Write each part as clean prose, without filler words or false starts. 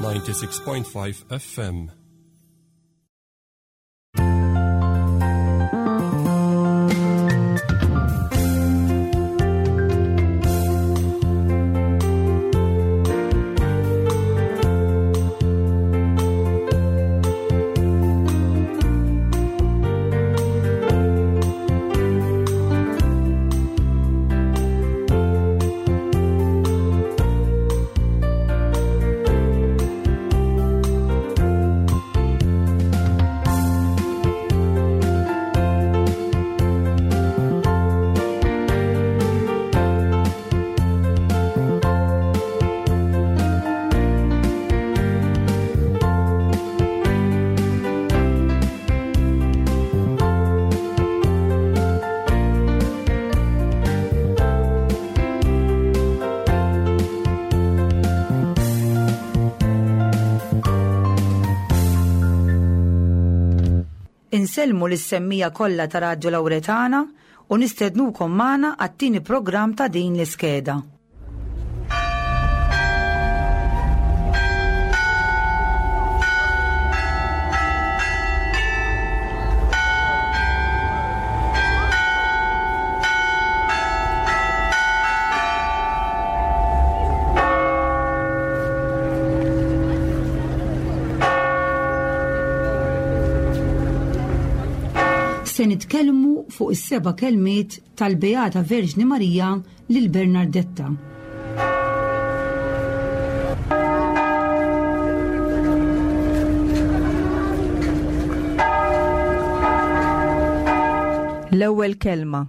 96.5 FM. Insellmu lis-semmija kollha ta' Radju Lawretana u nistednukom magħna għat-tieni programm ta' din l-iskeda. Se nitkellmu fuq is-seba' kelmiet tal-Beata Verġni Marija lil Bernardetta. L-ewwel kelma.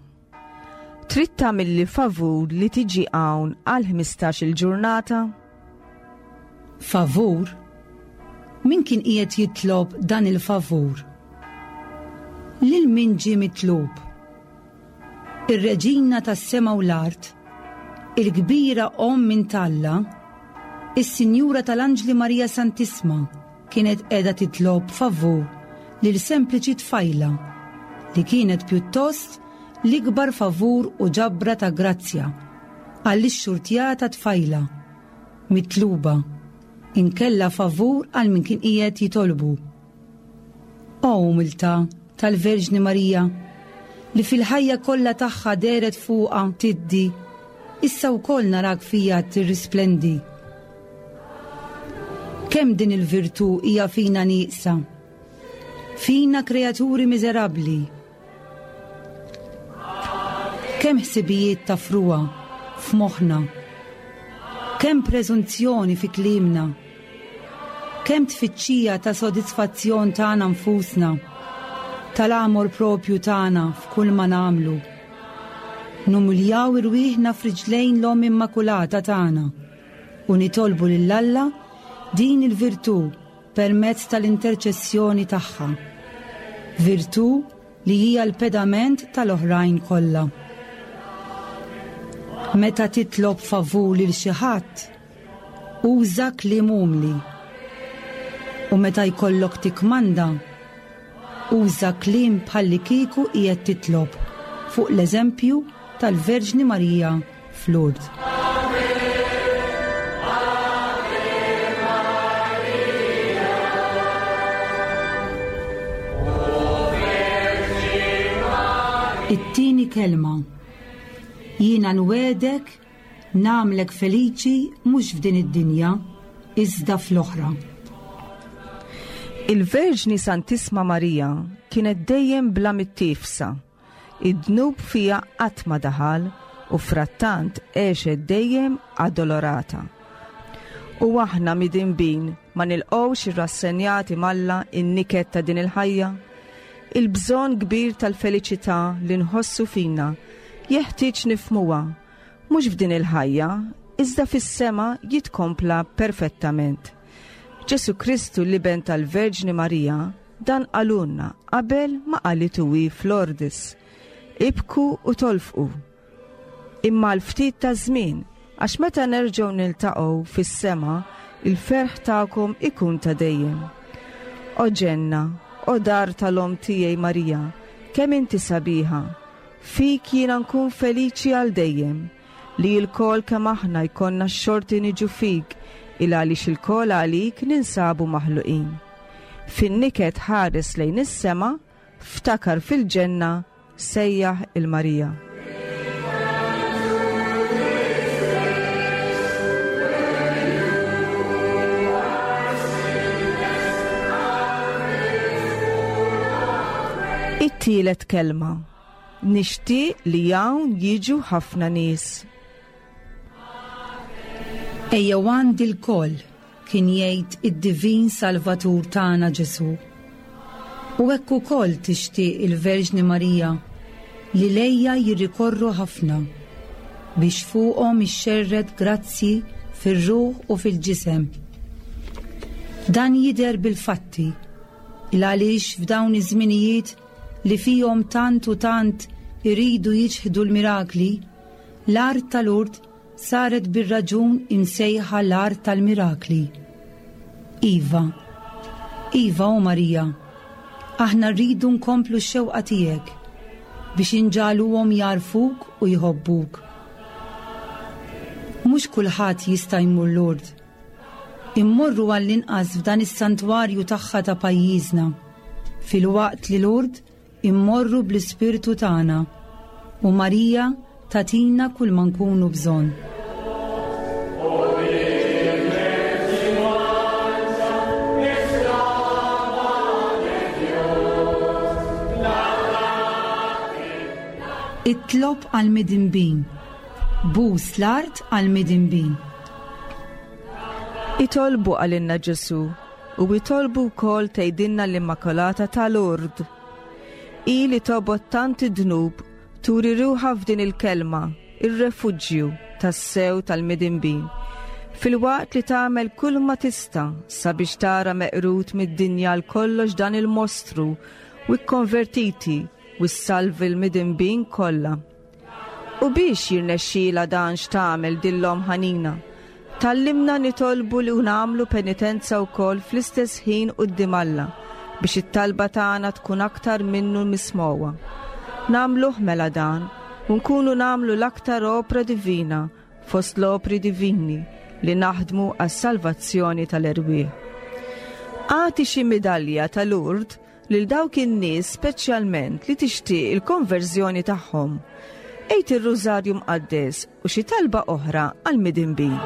Trid tagħmilli favur li tiġi hawn għal 15-il ġurnata? Favur? Min kien qiegħed jitlob dan il-favur? Lil min ġie mitlub? Ir-Reġina tas-sema u l-art, il-kbira Omm minn t'Alla, is-Sinjura tal-Anġli Marija Santissma kienet qiegħda titlob favur lil sempliċi tfajla li kienet pjuttost l-ikbar favur u ġabra ta' grazzja għall-ixxurtjata tfajla mitluba inkella favur għal min kien qiegħed jitolbu. O umiltà tal-Verġni Marija, li fil-ħajja kollha tagħha dehret fuqha tiddi, issa wkoll narak fija tirrisplendi. Kemm din il-virtù hija fina nieqsa, fina kreaturi miżerabbli, Kemm ħsibijiet ta' frugħa f'moħħna. Kemm preżunzjoni fi kliemna. Kemm tfittxija ta' sodisfazzjon tagħna nfusna, tal-għamor propju tagħna f'kull ma nagħmlu. Numiljaw irwieħna f'riġlejn l-Omm Immakulata tagħna u nitolbu lil Alla din il-virtù permezz tal-interċessjoni tagħha, virtù li hija l-pedament tal-oħrajn kollha. Meta titlob favur lil xi ħadd, uża kliem umli. U meta jkollok tikkmanda, uża kliem bħallikieku qiegħed titlob fuq l-eżempju tal-Verġni Marija f'Lourdes. It-tieni kelma. Jiena nwegħdek nagħmlek feliċi mhux f'din id-dinja, iżda fl-oħra. Il-Verġni Santissma Marija kienet dejjem bla mittiefsa. Id-dnub fiha qatt ma daħal u frattant għexet dejjem addolorata. U aħna midinbin ma nilqgħux irrassenjati m'Alla n-niket ta' din il-ħajja? Il-bżonn kbir tal-feliċità li nħossu fina jeħtieġ nifhmuha, mhux f'din il-ħajja, iżda fis-sema jitkompla perfettament. Ġesù Kristu l-Iben tal-Verġni Marija Dan qalulna qabel ma qalitu hi f'Lourdes. Ibku u tolfqu. Imma għal ftit ta' żmien, għax meta nerġgħu niltaqgħu fis-sema, il-ferħ tagħkom ikun ta' dejjem. O ġenna, o dar tal-Omm tiegħi Marija, kemm inti sabiħa! Fik jiena nkun feliċi għal dejjem. Li lkoll kemm aħna jkollna x-xorti niġu fik. Il għaliex ilkoll għalik ninsabu maħluqin. Fin-niket ħares lejn is-sema, ftakar fil-ġenna, sejjaħ il-Marija. It-tielet kelma. Nixtieq li hawn jiġu ħafna nies. Ejjew għandi lkoll, kien jgħid id-Divin Salvatur tagħna Ġesù. U hekk ukoll tixtieq il-Verġni Marija li lejha jirrikorru ħafna, biex fuqhom ixxerred grazzji fir-ruħ u fil-ġisem. Dan jidher bil-fatti, il-għaliex f'dawn iż-żminijiet li fihom tant u tant iridu jiċħdu l-mirakli, L-art ta' Lourdes saret bir-raġun imsejħa l-art tal-mirakli. Iva, iva, o Marija, aħna rridu nkomplu x-xewqa tiegħek biex inġagħluhom jagħrfuk u jħobbuk. Mhux kulħadd jista' jmur Lourdes. Immorru għall-inqas f'dan is-santwarju tagħha ta' pajjiżna, filwaqt li Lourdes Immorru bl-ispirtu tagħna u Marija tagħtina kull ma nkunu bżonn. Itlob għall-midinbin, bus l-art għall-midinbin. Itolbu għalinna Ġesù u itolbu wkoll tgħidilna l-Immakolata ta' Lourdes. Hi li tobgħod tant id-dnub turi ruħha f'din il-kelma, ir-refuġju tassew tal-midinbin, filwaqt li tagħmel kull ma tista' sabiex tara meqrud mid-dinja għal kollox dan il-mostru u kkonvertiti u ssalvi l-midinbin kollha. U biex jirnexxielha dan x'tagħmel din l-Omm ħanina? Tgħallimna nitolbu li u nagħmlu penitenza wkoll fl-istess ħin quddiem Alla biex it-talba tagħna tkun aktar minnu mismgħuha. Nagħmluh mela dan u nkunu nagħmlu l-aktar opra divina fost l-opri divini li naħdmu għas-salvazzjoni tal-erwieħ. Agħti xi midalja ta' Lourdes lil dawk in-nies speċjalment li tixtieq il-konverżjoni tagħhom. Għid ir-Rużarju Mqaddes u xi talba oħra għall-midinbin.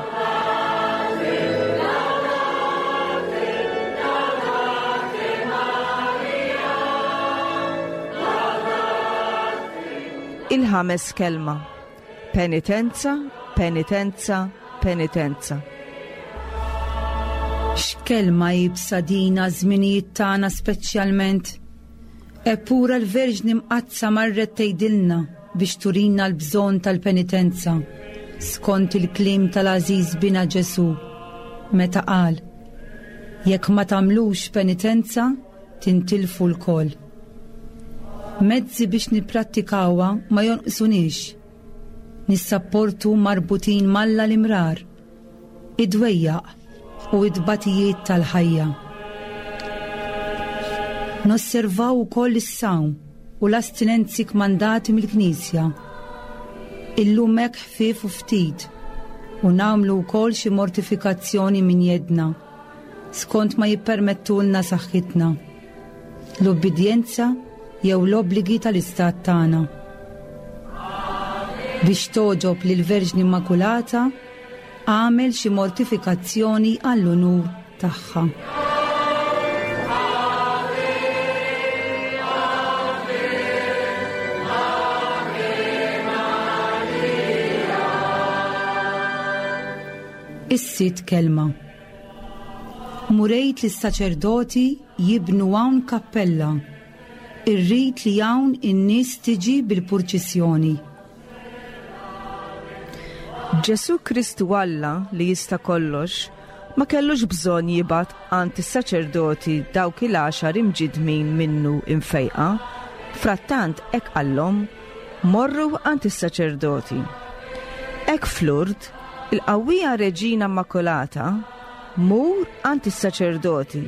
Il-ħames kelma. Penitenza, penitenza, penitenza. X'kelma iebsa din għaż-żminijiet tagħna speċjalment. Eppura l-Verġni Mqaddsa marret tgħidilna biex turina l-bżonn tal-penitenza, skont il-kliem tal-għażiż Binha Ġesù, meta qal, Jekk ma tagħmlux penitenza, tintilfu lkoll. Mezzi biex nipprattikawha ma jonqsuniex. Nissapportu marbutin m'Alla l-imrar, id-dwejjaq u t-tbatijiet tal-ħajja. Nosservaw ukoll is-sawm u l-astinenzi kmandati mill-Knisja. Illum hekk ħfief u ftit u nagħmlu wkoll xi mortifikazzjoni minn jeddna. skont ma jippermettulna saħħitna, l-ubbidjenza jew l-obbligi tal-istat tagħna. Biex togħġob lill-Verġni Immakulata, agħmel xi mortifikazzjoni għall-unur tagħha. Is-sitt kelma. Mur għid lis-saċerdoti jibnu hawn kappella. Irrid li hawn in-nies tiġi bil-purċissjoni. Ġesù Kristu Alla li jista' kollox ma kellux bżonn jibgħat għand is-saċerdoti dawk il-għaxar imġiddmin minnu imfejqa, frattant hekk qallhom, Morru għand is-saċerdoti. Hekk f'Lourdes, il-qawwija Reġina Immakulata, Mur għand is-saċerdoti,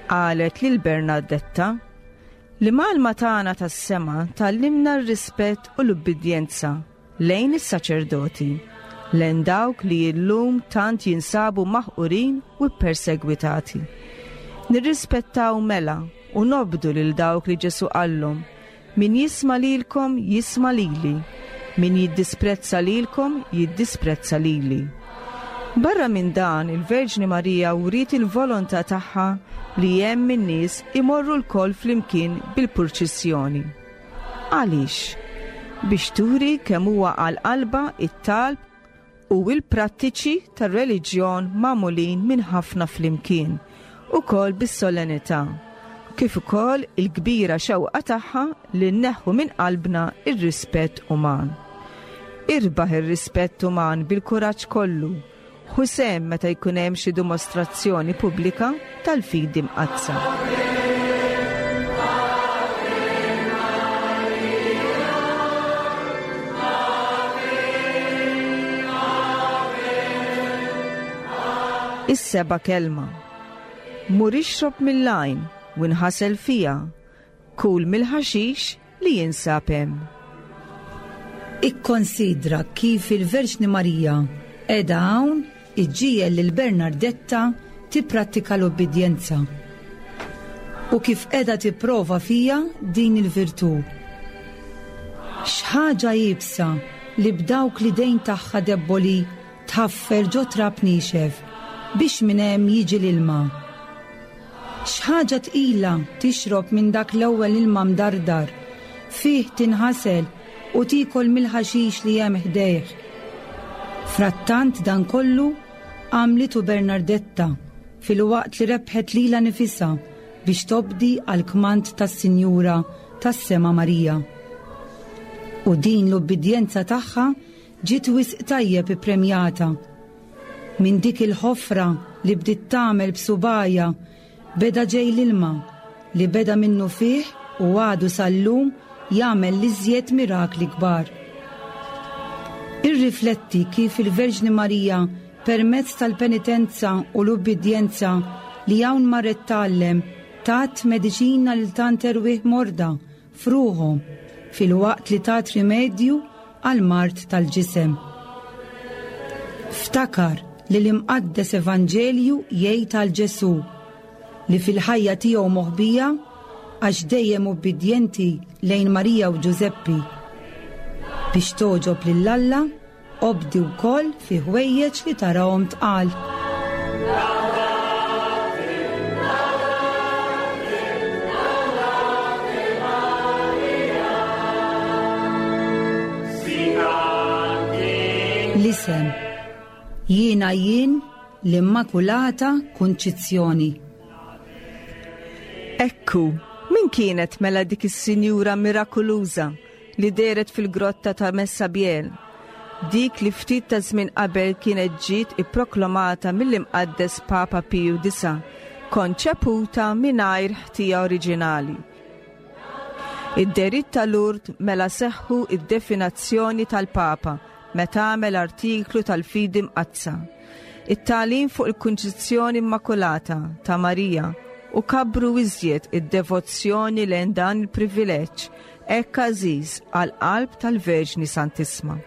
qalet lil Bernardetta. L-imgħallma tagħna tas-sema tgħallimna r-rispett u l-ubbidjenza lejn is-saċerdoti. lejn dawk li illum tant jinsabu maħqurin u ppersegwitati. Nirrispettaw mela u nobdu lil dawk li Ġesù qallhom, Min jisma' lilkom jisma' lili, min jiddisprezza lilkom jiddisprezza lili. Barra minn dan, il-Verġni Marija wriet il-volontà tagħha li hemm in-nies imorru lkoll flimkien bil-purċissjoni. Għaliex? Biex turi kemm huwa għal qalbha t-talb u l-prattiċi tar-reliġjon magħmulin minn ħafna flimkien, ukoll bis-solennità, kif ukoll il-kbira xewqa tagħha li nneħħu minn qalbna r-rispett uman. Irbaħ ir-rispett uman bil-kuraġġ kollu Ħu sehem meta jkun hemm xi dimostrazzjoni pubblika tal-fidi mqaddsa. Is-seba' kelma. Mur ixrob mill-għajn u nħasel fiha, kul mill-ħaxix li jinsab hemm. Ikkonsidra kif il-Verġni Marija qiegħda hawn iġġiegħel lil Bernardetta tipprattika l-ubbidjenza u kif qiegħda tipprova fiha din il-virtù. X'ħaġa iebsa li b'dawk l-idejn tagħha debboli tħaffer ġo trab niexef biex minn hemm jiġi l-ilma. X'ħaġa tqila tixrob minn dak l-ewwel ilma mdardar, fih tinħasel u tiekol mill-ħaxix li hemm ħdejh. Frattant dan kollu għamlitu Bernardetta filwaqt li rebħet lilha nifisha biex tobdi għall-kmand tas-Sinjura tas-Sema Marija. U din l-ubbidjenza tagħha ġiet wisq tajjeb ippremjata. Minn dik il-ħofra li bdiet tagħmel b'subgħajha beda ġej l-ilma li beda minnufih u għadu sal-lum jagħmel l-iżjed mirakli kbar. Irrifletti kif il-Verġni Marija permezz tal-penitenza u l-ubbidjenza li hawn marret tgħallem tat mediċina lil tant erwieħ morda f'ruħhom filwaqt li tat rimedju għall-mard tal-ġisem. Ftakar li l-Imqaddes Evanġelju jgħid għal Ġesù li fil-ħajja tiegħu moħbija għax dejjem ubbidjenti lejn Marija u Ġużeppi. Biex togħġob lil Alla, Obdi wkoll fi ħwejjeġ li tarahom tqal. L-isem Jiena jien l-Immakulata Kunċizzjoni. Ekku, min kienet mela dik is-sinjura mirakuluża li dehret fil-grotta ta' Messabiel, dik li ftit ta' żmien qabel kienet ġiet ipproklamata mill-Imqaddes Papa Piju Disa', konċeputa mingħajr ħtija oriġinali. Id-dehriet ta' Lourdes mela seħħu id-definazzjoni tal-Papa meta għamel artiklu tal-Fidi Mqaddsa, it-tagħlim fuq il-Kunċizzjoni Immakulata ta' Marija u kabbru iżjed id-devozzjoni lejn dan il-privileġġ hekk għażiż għall-qalb tal-Verġni Santissma.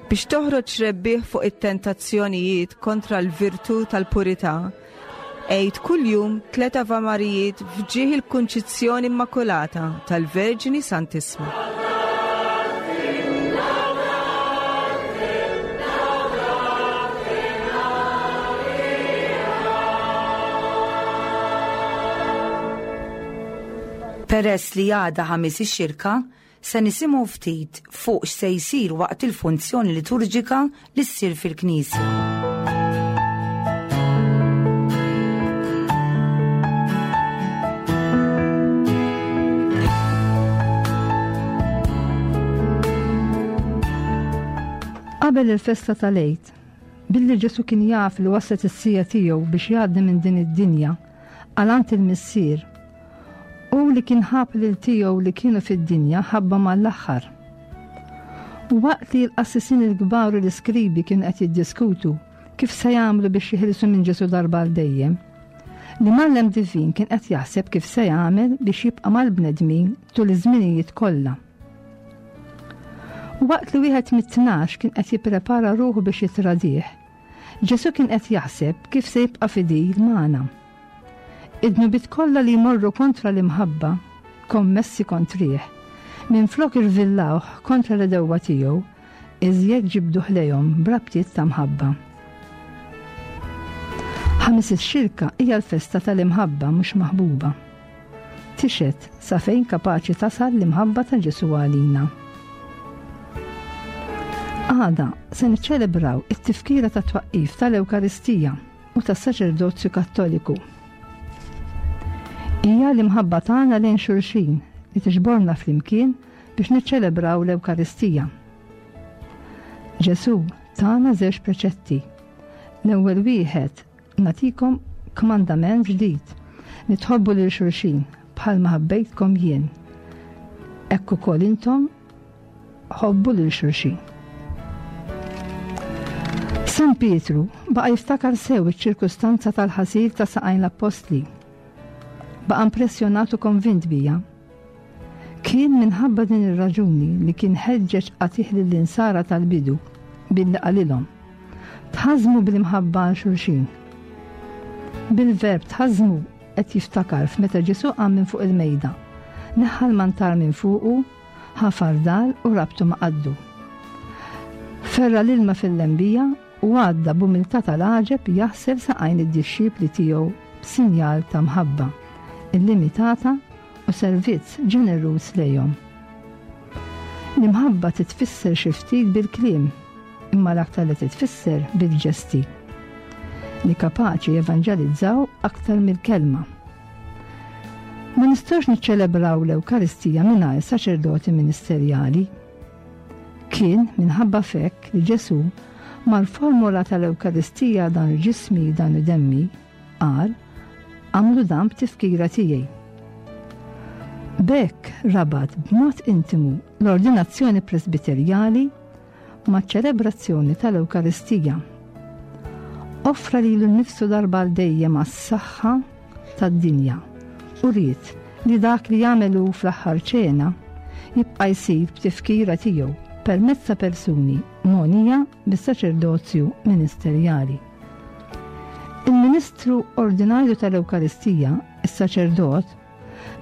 Biex toħroġ rebbieħ fuq it-tentazzjonijiet kontra l-virtù tal-purità, għid kuljum tlet Avamarijiet f'ġieħ il-Kunċizzjoni Immakulata tal-Verġni Santissma. Peress li għada Ħamis ix-Xirka, se nisimgħu ftit fuq x'se jsir waqt il-funzjoni liturġika li ssir fil-Knisja. Qabel il-festa tal-Għid, billi Ġesù kien jaf li waslet is-siegħa tiegħu biex jgħaddi minn din id-dinja għal għand il-Missier, Hu li kien ħabb lil tiegħu li kienu fid-dinja ħabbhom għall-aħħar. U waqt li l-qassisin il-kbar u l-iskribi kienu qed jiddiskutu kif se jagħmlu biex jeħilsu minn Ġesù darba għal dejjem, l-Imgħallem Divin kien qed jaħseb kif se jagħmel biex jibqa' mal-bnedmin tul iż-żminijiet kollha. Waqt li wieħed mit-tnax kien qed jipprepara ruħu biex jitradih, Ġesù kien qed jaħseb kif se jibqa' fidil magħna. Id-dnubiet kollha li jmorru kontra l-imħabba, kommessi kontrih, minflok irvillawh kontra l-għedewwa tiegħu, iżjed ġibduh lejhom b'rabtiet ta' mħabba. Ħamis ix-Xirka hija l-festa tal-imħabba mhux maħbuba. Tixhed sa fejn kapaċi tasal l-imħabba ta' Ġesù għalina. Għada se niċċelebraw it-tifkira ta' twaqqif tal-Ewkaristija u tas-saċerdozju Kattoliku. Hija l-imħabba tagħna lejn xulxin li tiġborna flimkien biex niċċelebraw l-Ewkaristija. Ġesù tana żewġ preċetti. L-ewwel wieħed nagħtikom kmandament ġdid li tħobbu lil xulxin bħalma ħabbejtkom jien. Hekk ukoll intom ħobbu lil xulxin. San Pietru baqa' jiftakar sew iċ-ċirkustanza tal-ħasil ta' saqajn l-appostli. Baqa' impressjonat u konvint bija. Kien minħabba din ir-raġuni li kien ħeġġeġ qatigħ lill-insara tal-bidu billi qalilhom, Tħażżmu bl-imħabba għal xulxin. Bil-verb tħażżmu qed jiftakar f'meta Ġesù qam minn fuq il-mejda, neħħa l-mantar minn fuqu, ħa fardal u rabtu ma' qaddu. Ferra l-ilma fil-lembija u għadda b'umiltà tal-għaġeb jaħsel saqajn id-dixxipli tiegħu b'sinjal ta' mħabba illimitata u servizz ġeneruż lejhom. L-imħabba titfisser xi ftit bil-kliem, imma l-aktar li titfisser bil-ġesti li kapaċi jevanġelizzaw aktar mill-kelma. Ma nistgħux niċċelebraw l-Ewkaristija mingħajr saċerdoti ministerjali. Kien minħabba fekk li Ġesù mal-formula tal-Ewkaristija dan ġismi dan demmi qal għamlu dan b'tifkira tiegħi. B'hekk rabat b'mod intimu l-ordinazzjoni presbiterjali maċ-ċelebrazzjoni tal-Ewkaristija. Offra lilu nnifsu darba għal dejjem għas-saħħa tad-dinja u ried li dak li jagħmel hu fl-aħħar ċena jibqa' jsir b'tifkira tiegħu permezz ta' persuni mogħnija bis-saċerdozju ministerjali. Il-Ministru Ordinarju tal-Ewkaristija, is-saċerdot,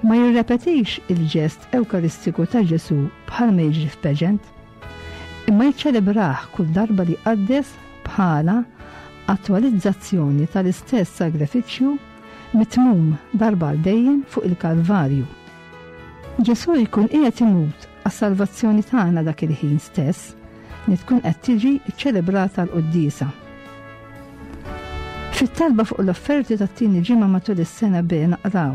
ma jirrepetix il-ġest Ewkaristiku ta' Ġesù bħalma jiġri f'pageant, imma jiċċelebrah kull darba li jqaddes bħala attwalizzazzjoni tal-istess sagrifiċċju mitmum darba għal dejjem fuq il-Kalvarju. Ġesù jkun qiegħed imut għas-salvazzjoni tagħna dak il-ħin stess li tkun qed tiġi ċċelebrata l-quddiesa. Fit-talba fuq l-offerti tat-tieni ġimgħa matul is-sena B naqraw.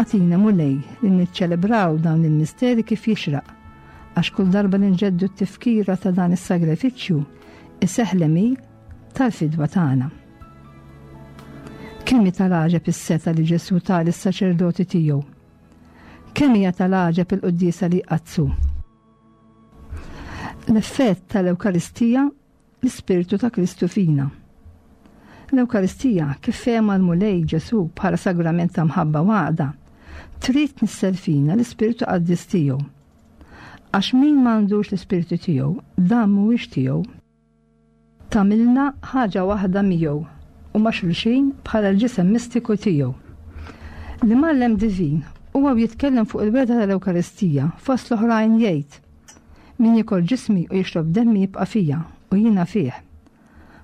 Agħtina Mulej li niċċelebraw dawn il-misteri kif jixraq, għax kull darba li nġeddu t-tifkira ta' dan is-sagrifiċċju iseħħ l-għemil tal-fidwa tagħna. Kemm hi tal-għaġeb is-setgħa li Ġesù ta lis-saċerdoti tiegħu! Kemm hija tal-għaġeb il-quddiesa li jqaddsu! L-effett tal-Ewkaristija l-Ispirtu ta' Kristu fina. L-Ewkaristija, kif fehma l-Mulej Ġesù bħala sagrament ta' mħabba u għaqda, trid tnissel fina l-Ispirtu Qaddis tiegħu. Għax min m'għandux l-Ispirtu tiegħu, dan mhuwiex tiegħu. Tagħmilna ħaġa waħda miegħu u ma' xulxin bħala l-ġisem mistiku tiegħu. L-Imgħallem Divin huwa u jitkellem fuq il-wegħda tal-Ewkaristija fost l-oħrajn jgħid, Min jiekol ġismi u jixrob demmi jibqa' fija u jiena fih.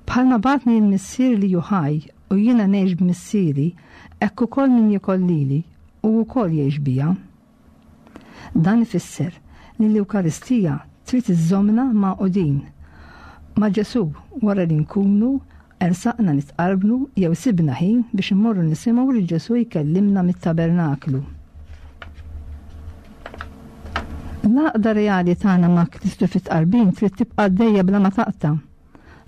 Bħalma bagħatni l-Missier li hu ħaj u jiena ngħix b'Missieri, hekk ukoll min jiekol lili hu wkoll jgħix bija. Dan ifisser li l-Ewkaristija trid iżżommna magħqudin ma' Ġesù wara li nkunu ersaqna nitqarbnu jew sibna ħin biex immorru nisimgħu lil Ġesù jkellimna mit-tabernaklu. L-għaqda reali tagħna ma' Kristu fit-tqarbin trid tibqa' għaddejja bla ma taqta'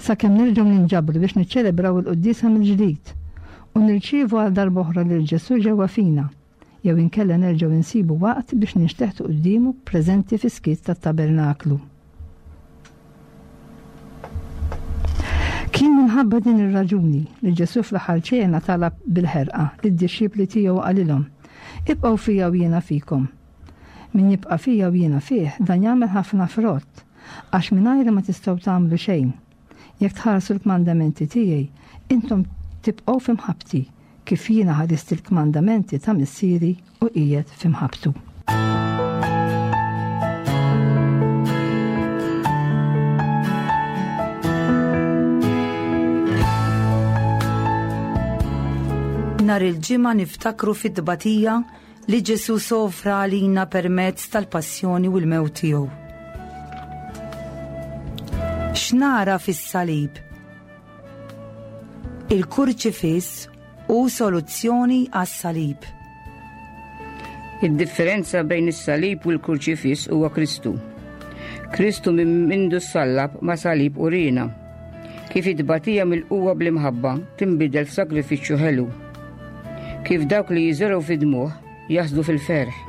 sakemm nerġgħu ninġabru biex niċċelebraw il-quddiesa mill-ġdid u nirċievu għal darb'oħra lil Ġesù ġewwa fina. jew inkella nerġgħu nsibu waqt biex ninxteħtu quddiemu preżenti fis-skiet tat-tabernaklu. Kien minħabba din ir-raġuni li Ġesù fl-aħħar ċena talab bil-ħerqa lid-dixxipli tiegħu qalilhom, Ibqgħu fija u jiena fikom. Min jibqa' fija u jiena fih, dan jagħmel ħafna frott, għax mingħajri ma tistgħu tagħmlu xejn. Jekk tħarsu l-kmandamenti tiegħi, intom tibqgħu fi mħabbti, kif jiena ħarist il-kmandamenti ta' Missieri u qiegħed fi mħabbtu. Nhar il-Ġimgħa niftakru fit-tbatija li Ġesù sofra għalina permezz tal-passjoni u l-mewt tiegħu. X'nara fis-salib? Il-kurċifiss hu soluzzjoni għas-salib. Id-differenza bejn is-salib u l-kurċifiss huwa Kristu. Kristu minn mindu sallab ma' salib urina. Kif it-tbatija mill-qwa bl-imħabba tinbidel f'sagrifiċċju ħelu. Kif dawk li jiżergħu fid-dmugħ jaħsdu fil-ferħ.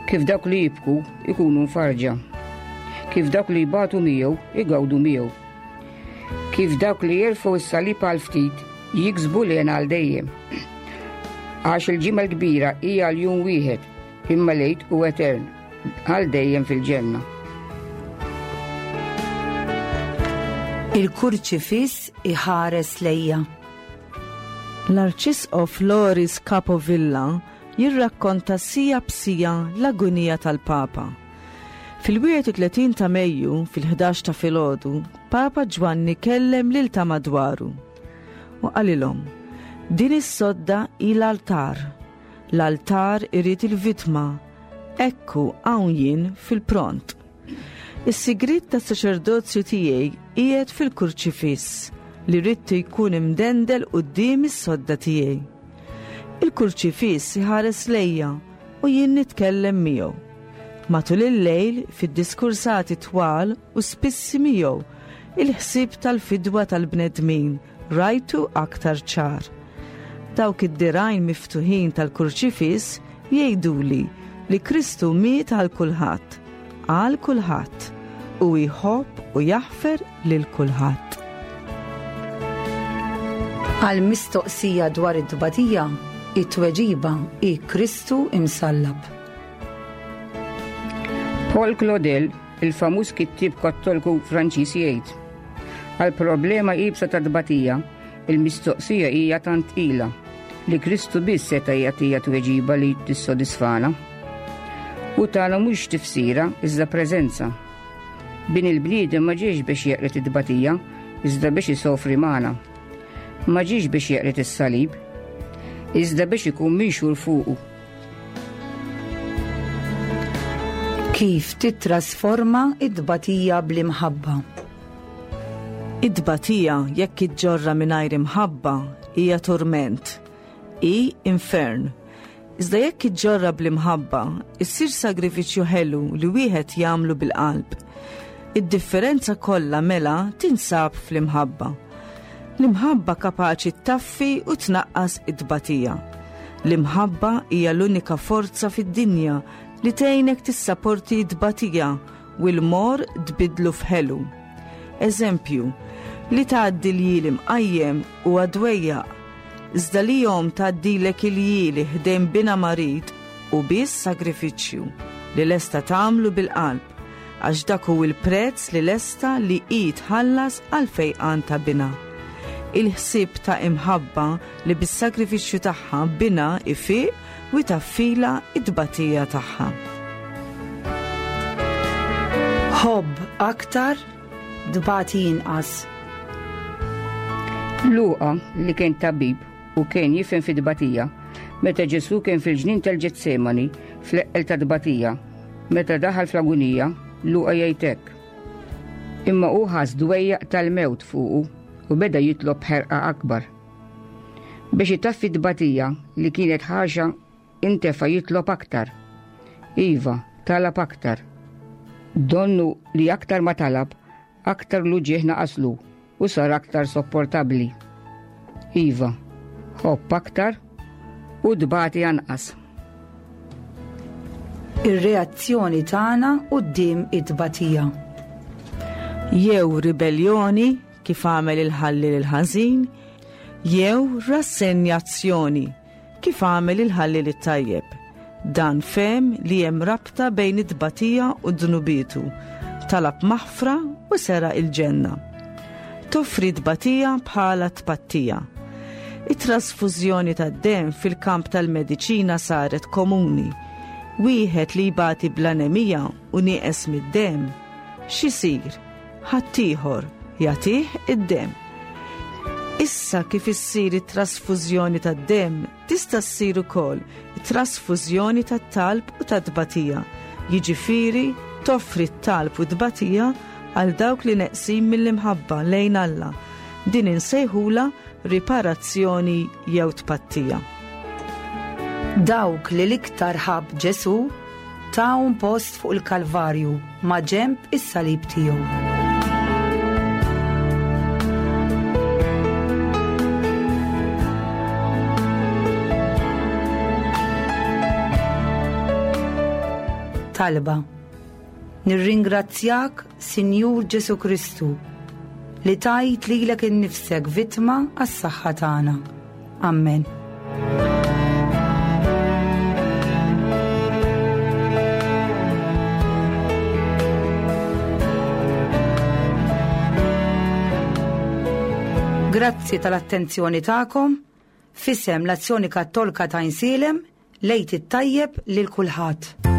Kif dawk li jibku ikunu mfarġa. Kif dawk li jbatu miegħu igawdu miegħu. Kif dawk li jerfgħu s-salib għal ftit jiksbu l għal dejjem. Għax il-ġimgħa l-kbira hija għal jum wieħed, imma l-Għid hu etern, għal dejjem fil-ġenna. Il-kurċifiss iħares lejja. L-Arċisqof Loris Capovilla jirrakkonta sija b'sija l-agunija tal-Papa. Fil-31 ta' Mejju, fil-11 ta' filgħodu, Papa Ġwanni kellem lil ta' madwaru u qalilhom, Din is-sodda hi l-altar. L-altar irid il-vittma. Ekku hawn jien fil-pront. Is-sigriet tas-saċerdozju tiegħi qiegħed fil-kurċifiss li ridtu jkun imdendel quddiem is-sodda tiegħi. Il-kurċifiss iħares lejja u jien nitkellem miegħu. Matul il-lejl, fid-diskursati twal u spissi miegħu, il-ħsieb tal-fidwa tal-bnedmin rajtu aktar ċar. Dawk id-dirgħajn miftuħin tal-kurċifiss jgħiduli li Kristu miet għal kulħadd, għal kulħadd, u jħobb u jaħfer lil kulħadd. Għal mistoqsija dwar it-tbatija, it-tweġiba hi Kristu imsallab. Paul Claudel, il-famuż kittieb Kattoliku Franċiż jgħid, Għal problema iebsa ta' tbatija, il-mistoqsija hija tant tqila li Kristu biss seta' jagħtiha tweġiba li tissodisfana. U tagħna mhux tifsira iżda preżenza. Bin il-bniedem ma ġiex biex jeqred it-tbatija, iżda biex isofri magħna. Ma ġiex biex jeqred is-salib, iżda biex ikun minxur fuqu. Kif tittrasforma it-tbatija bl-imħabba? It-tbatija jekk iġġorra mingħajr imħabba hija turment, hi infern. Iżda jekk iġġorra bl-imħabba, issir sagrifiċċju ħelu li wieħed jagħmlu bil-qalb. Id-differenza kollha mela tinsab fl-imħabba. L-imħabba kapaċi ttaffi u tnaqqas it-tbatija. L-imħabba hija l-unika forza fid-dinja li tgħinek tissaporti t-tbatija u l-morr tbiddlu f'ħelu. Eżempju, li tgħaddi l-jili mqajjem huwa dwejjaq, iżda li omm tgħaddilek il-jili ħdejn binha marid hu biss sagrifiċċju li lesta tagħmlu bil-qalb, għax dak hu l-prezz li lesta li hi tħallas għall-fejqan ta' binha. Il-ħsieb ta' imħabba li bis-sagrifiċċju tagħha binha jfiq u jtaffilha t-tbatija tagħha. Ħobb aktar, tbati inqas. Luqa, li kien tabib u kien jifhem fit-tbatija, meta Ġesù kien fil-ġnien tal-Ġetsemani fl-eqqel tat-tbatija, meta daħal fl-agunija, Luqa jgħid hekk, Imma hu ħass dwejjaq tal-mewt fuqu u beda jitlob b'ħerqa akbar. Biex itaffi t-tbatija li kienet ħaxa intefa' jitlob aktar. Iva, talab aktar. Donnu li aktar ma talab, aktar l-uġigħ naqaslu u sar aktar sopportabbli. Iva, ħobb aktar u tbati anqas. Ir-reazzjoni tagħna quddiem it-tbatija. Jew ribelljoni kif għamel il-ħalliel il-ħażin, jew rassenjazzjoni kif għamel il-ħalliel it-tajjeb. Dan fehem li hemm rabta bejn it-tbatija u dnubietu. Talab maħfra u seraq il-ġenna. Toffri tbatija bħala tpattija. It-trasfużjoni tad-demm fil-kamp tal-mediċina saret komuni. Wieħed li jbati bl-anemija u nieqes mid-demm, x'isir? Ħaddieħor jagħtih id-demm. Issa kif issir it-trasfużjoni tad-demm, tista' ssir ukoll it-trasfużjoni tat-talb u tat-tbatija, jiġifieri toffri t-talb u t-tbatija għal dawk li neqsin mill-imħabba lejn Alla. Din insejħulha riparazzjoni jew tpattija. Dawk li l-iktar ħabb Ġesù tahom post fuq il-Kalvarju maġenb is-salib tiegħu. Talba Nirringrazzjak, Sinjur Ġesù Kristu, li tajt lilek innifsek vittma għas-saħħa tagħna. Ammen. Grazzi tal-attenzjoni tagħkom. F'isem l-Azzjoni Kattolka ta' Għajnsielem, l-Għid it-tajjeb lil kulħadd.